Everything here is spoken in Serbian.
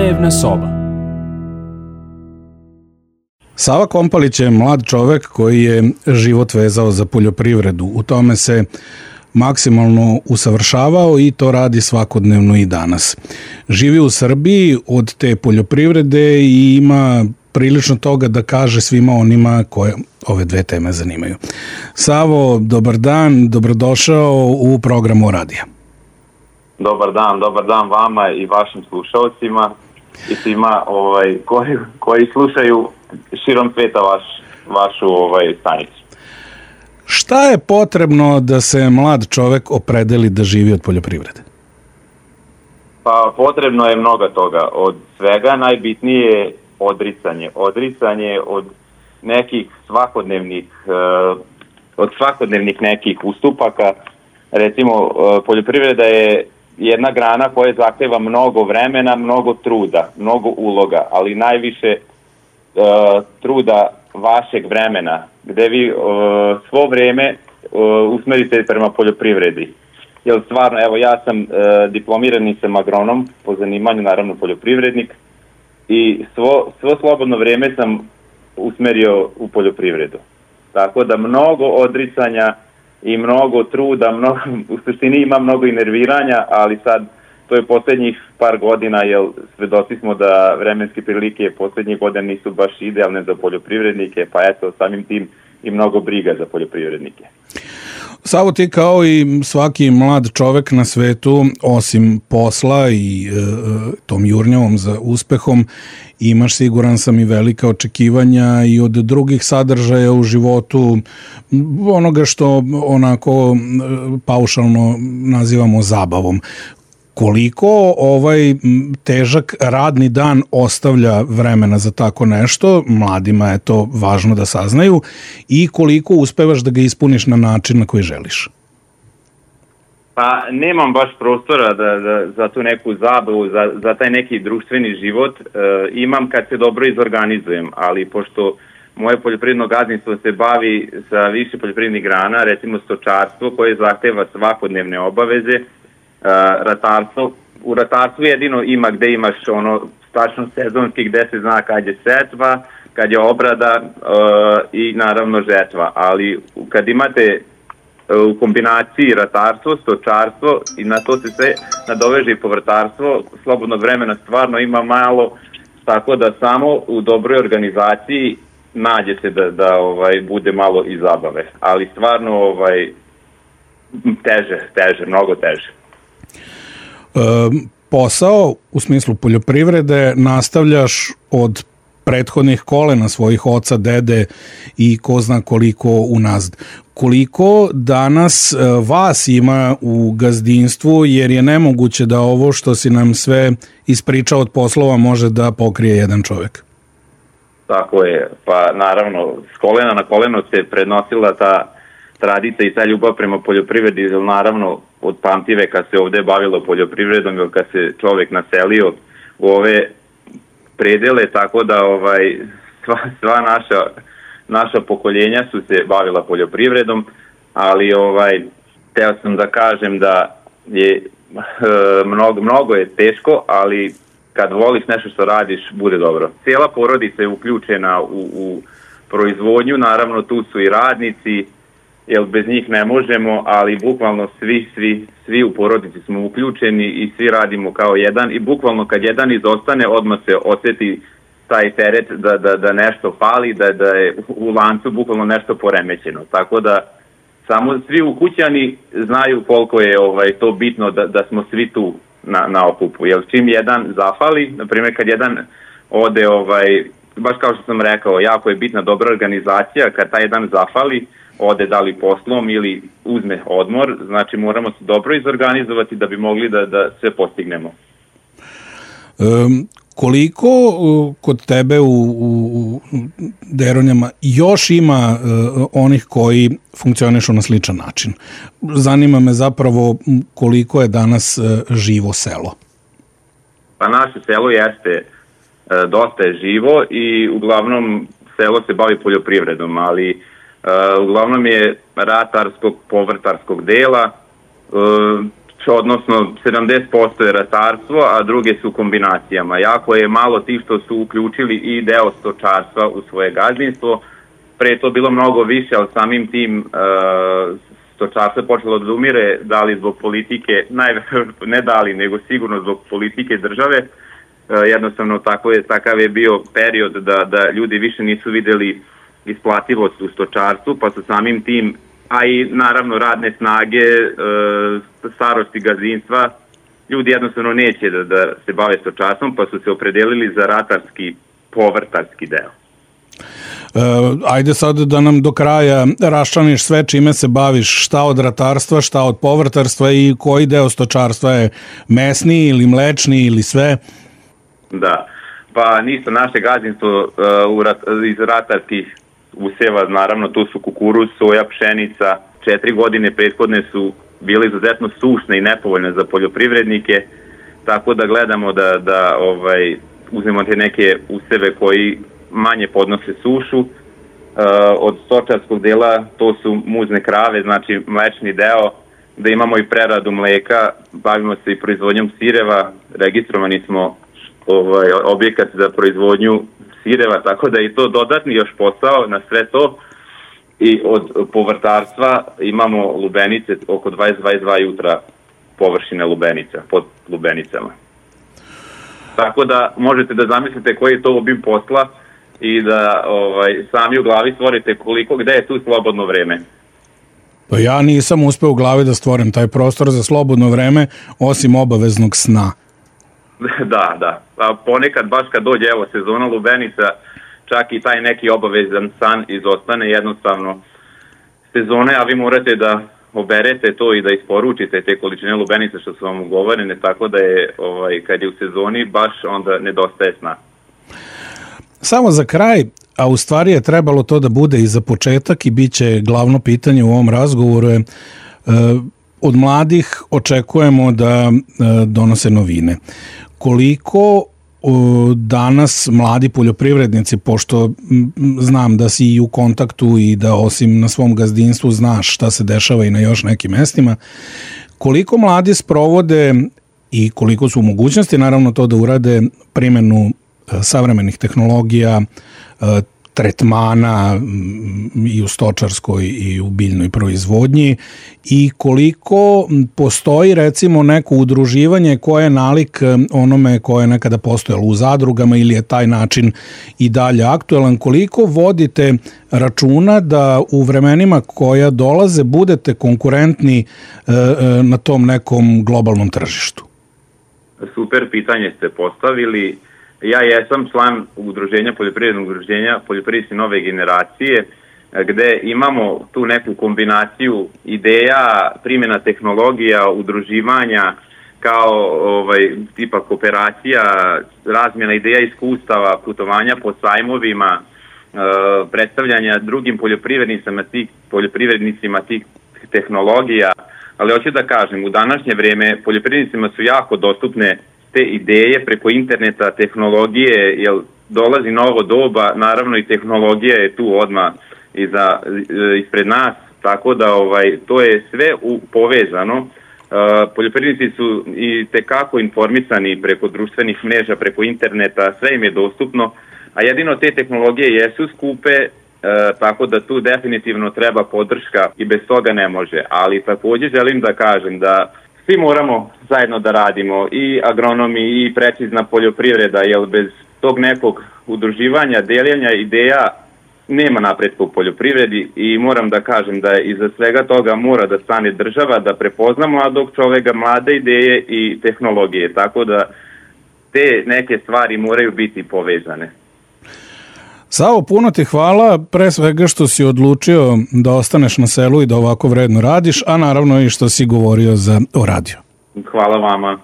Dnevna soba. Sava Kompalić je mlad čovek koji je život vezao za poljoprivredu. U tome se maksimalno usavršavao i to radi svakodnevno i danas. Živi u Srbiji od te poljoprivrede i ima prilično toga da kaže svima onima koje ove dve teme zanimaju. Savo, dobar dan, dobrodošao u programu radija. Dobar dan vama i vašim slušalcima i svima koji slušaju širom sveta vašu stanicu. Šta je potrebno da se mlad čovek opredeli da živi od poljoprivrede? Pa potrebno je mnogo toga. Od svega najbitnije je odricanje. Odricanje od nekih svakodnevnih nekih ustupaka. Recimo, poljoprivreda je jedna grana koja zahteva mnogo vremena, mnogo truda, mnogo uloga, ali najviše truda vašeg vremena, gde vi svo vreme usmerite prema poljoprivredi. Jer stvarno, evo ja sam diplomirani sam agronom, po zanimanju naravno poljoprivrednik, i svo slobodno vreme sam usmerio u poljoprivredu. Tako da mnogo odricanja i mnogo truda, u suštini ima mnogo i nerviranja, ali sad to je posljednjih par godina, jer svedoci smo da vremenske prilike posljednjih godina nisu baš idealne za poljoprivrednike, pa eto, samim tim i mnogo briga za poljoprivrednike. Savo, ti kao i svaki mlad čovek na svetu, osim posla i tom jurnjavom za uspehom, imaš, siguran sam, i velika očekivanja i od drugih sadržaja u životu, onoga što onako paušalno nazivamo zabavom. Koliko ovaj težak radni dan ostavlja vremena za tako nešto, mladima je to važno da saznaju, i koliko uspevaš da ga ispuniš na način na koji želiš? Pa nemam baš prostora za tu neku zabavu, za taj neki društveni život. Imam kad se dobro izorganizujem, ali pošto moje poljoprivredno gazdinstvo se bavi sa više poljoprivrednih grana, recimo stočarstvo koje zahteva svakodnevne obaveze, ratarstvo. U ratarstvu jedino ima gde imaš tačno sezonski, gde se zna kad je setva, kad je obrada i naravno žetva, ali kad imate u kombinaciji ratarstvo, stočarstvo i na to se sve nadoveže i povrtarstvo, slobodnog vremena stvarno ima malo, tako da samo u dobroj organizaciji nađe se da bude malo i zabave, ali stvarno teže, mnogo teže. Posao u smislu poljoprivrede nastavljaš od prethodnih kolena svojih oca, dede i ko zna koliko unazad. Koliko danas vas ima u gazdinstvu, jer je nemoguće da ovo što si nam sve ispričao od poslova može da pokrije jedan čovek? Tako je, pa naravno s kolena na koleno se prenosila ta tradicija i ta ljubav prema poljoprivredi, naravno od pamtiveka se ovde bavilo poljoprivredom, jer kad se čovek naselio u ove predele, tako da sva naša pokoljenja su se bavila poljoprivredom, ali teo sam da kažem da je mnogo je teško, ali kad voliš nešto što radiš, bude dobro. Cijela porodica je uključena u proizvodnju, naravno tu su i radnici, jer bez njih ne možemo, ali bukvalno svi u porodici smo uključeni i svi radimo kao jedan, i bukvalno kad jedan izostane, odmah se osjeti taj teret da nešto fali, da je u lancu bukvalno nešto poremećeno. Tako da samo svi ukućani znaju koliko je to bitno da smo svi tu na okupu. Jer čim jedan zafali, na primjer kad jedan ode, baš kao što sam rekao, jako je bitna dobra organizacija, kad taj jedan zafali, ode da li poslom ili uzme odmor, znači moramo se dobro izorganizovati da bi mogli da sve postignemo. Koliko kod tebe u Deronjama još ima onih koji funkcionišu na sličan način? Zanima me zapravo koliko je danas živo selo. Pa naše selo jeste dosta je živo i uglavnom selo se bavi poljoprivredom, ali uglavnom je ratarskog, povrtarskog dela. odnosno 70% je ratarstvo, a druge su kombinacijama. Jako je malo tih što su uključili i deo stočarstva u svoje gazdinstvo. Pre to bilo mnogo više, ali samim tim stočarstvo je počelo da umire, da li zbog politike, ne da li, nego sigurno zbog politike države. Jednostavno takav je bio period da ljudi više nisu videli isplativost u stočarstvu, pa su samim tim, a i naravno radne snage, starosti gazdinstva, ljudi jednostavno neće da se bave stočarstvom, pa su se opredelili za ratarski, povrtarski deo. Ajde sad da nam do kraja raščlaniš sve čime se baviš, šta od ratarstva, šta od povrtarstva i koji deo stočarstva je mesni ili mlečni ili sve? Da, pa ništa, naše gazdinstvo iz ratarskih useva, naravno tu su kukuruz, soja, pšenica. 4 godine prethodne su bile izuzetno sušne i nepovoljne za poljoprivrednike, tako da gledamo da uzmemo te neke useve koji manje podnose sušu. Od stočarskog dela to su muzne krave, znači mlečni deo, da imamo i preradu mleka, bavimo se i proizvodnjom sireva, registrovani smo objekat za proizvodnju sireva, tako da je to dodatni još posao na sve to. I od povrtarstva imamo lubenice, oko 22 jutra površine lubenica, pod lubenicama. Tako da možete da zamislite koji je to obim posla i da sami u glavi stvorite gde je tu slobodno vreme. Pa ja nisam uspeo u glavi da stvorim taj prostor za slobodno vreme, osim obaveznog sna. Da. A ponekad baš kad dođe sezona lubenica, čak i taj neki obavezan san izostane jednostavno sezone, a vi morate da oberete to i da isporučite te količine lubenica što su vam ugovorene, tako da je kad je u sezoni baš onda nedostaje sna. Samo za kraj, a u stvari je trebalo to da bude i za početak i bit će glavno pitanje u ovom razgovoru je, od mladih očekujemo da donose novine. Koliko danas mladi poljoprivrednici, pošto znam da si i u kontaktu i da osim na svom gazdinstvu znaš šta se dešava i na još nekim mestima, koliko mladi sprovode i koliko su u mogućnosti naravno to da urade primjenu savremenih tehnologija, tretmana i u stočarskoj i u biljnoj proizvodnji i koliko postoji recimo neko udruživanje koje je nalik onome koje je nekada postojalo u zadrugama ili je taj način i dalje aktuelan, koliko vodite računa da u vremenima koja dolaze budete konkurentni na tom nekom globalnom tržištu? Super pitanje ste postavili. Ja jesam član udruženja, poljoprivrednog udruženja Poljoprivrednici nove generacije, gde imamo tu neku kombinaciju ideja, primjena tehnologija, udruživanja kao tipa kooperacija, razmjena ideja, iskustava, putovanja po sajmovima, predstavljanja drugim poljoprivrednicima tih tehnologija, ali hoću da kažem, u današnje vrijeme poljoprivrednicima su jako dostupne te ideje preko interneta, tehnologije, jer dolazi novo doba, naravno i tehnologija je tu odmah ispred nas, tako da to je sve povezano. Poljoprivrednici su i tekako informisani preko društvenih mreža, preko interneta, sve im je dostupno, a jedino te tehnologije jesu skupe, tako da tu definitivno treba podrška i bez toga ne može, ali također želim da kažem da svi moramo zajedno da radimo, i agronomi i precizna poljoprivreda, jer bez tog nekog udruživanja, deljenja ideja nema napretka u poljoprivredi i moram da kažem da iza svega toga mora da stane država, da prepozna mladog čoveka, mlade ideje i tehnologije, tako da te neke stvari moraju biti povezane. Savo, puno ti hvala, pre svega što si odlučio da ostaneš na selu i da ovako vredno radiš, a naravno i što si govorio o radiju. Hvala vama.